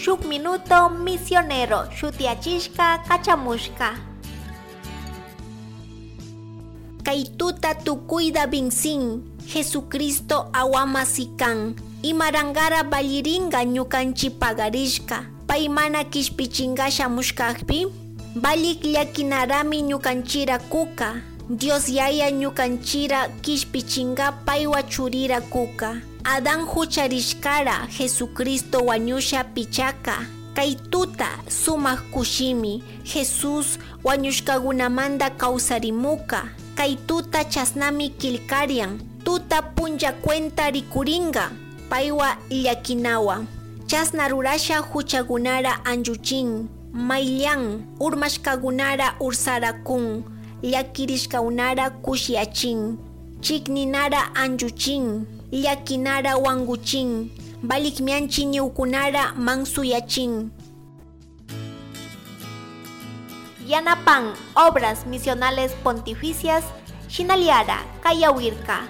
Shuk Minuto Misionero shutiyachishka kachamushka. Kay tuta tukuyda binsin, Jesucristo awama sikan, imarangara balliringa ñukanchi pagarishka, pay mana kishpichinga shamushkakpi, balik llakinarami ñukanchira kuka, Dios yaya ñukanchira kishpichinga paywa churira kuka. Adán hucharishkara Jesucristo wañusha pichaka. Kay tuta sumak kushimi Jesús wañushkagunamanda kawsarimuka. Kay tuta chasnami killkarian, tuta punlla cuenta rikuringa, paywa llakinawa. Chasna rurasha huchagunara anlluchin, mayllan urmashkagunara ursarakun, llakirishkaunara kushiachin, chikninara anlluchin, llakinara wanguchin, balikmianchi ñukunara mansuyachin. Yanapan Obras Misionales Pontificias, Shinaliara, Kayawirka.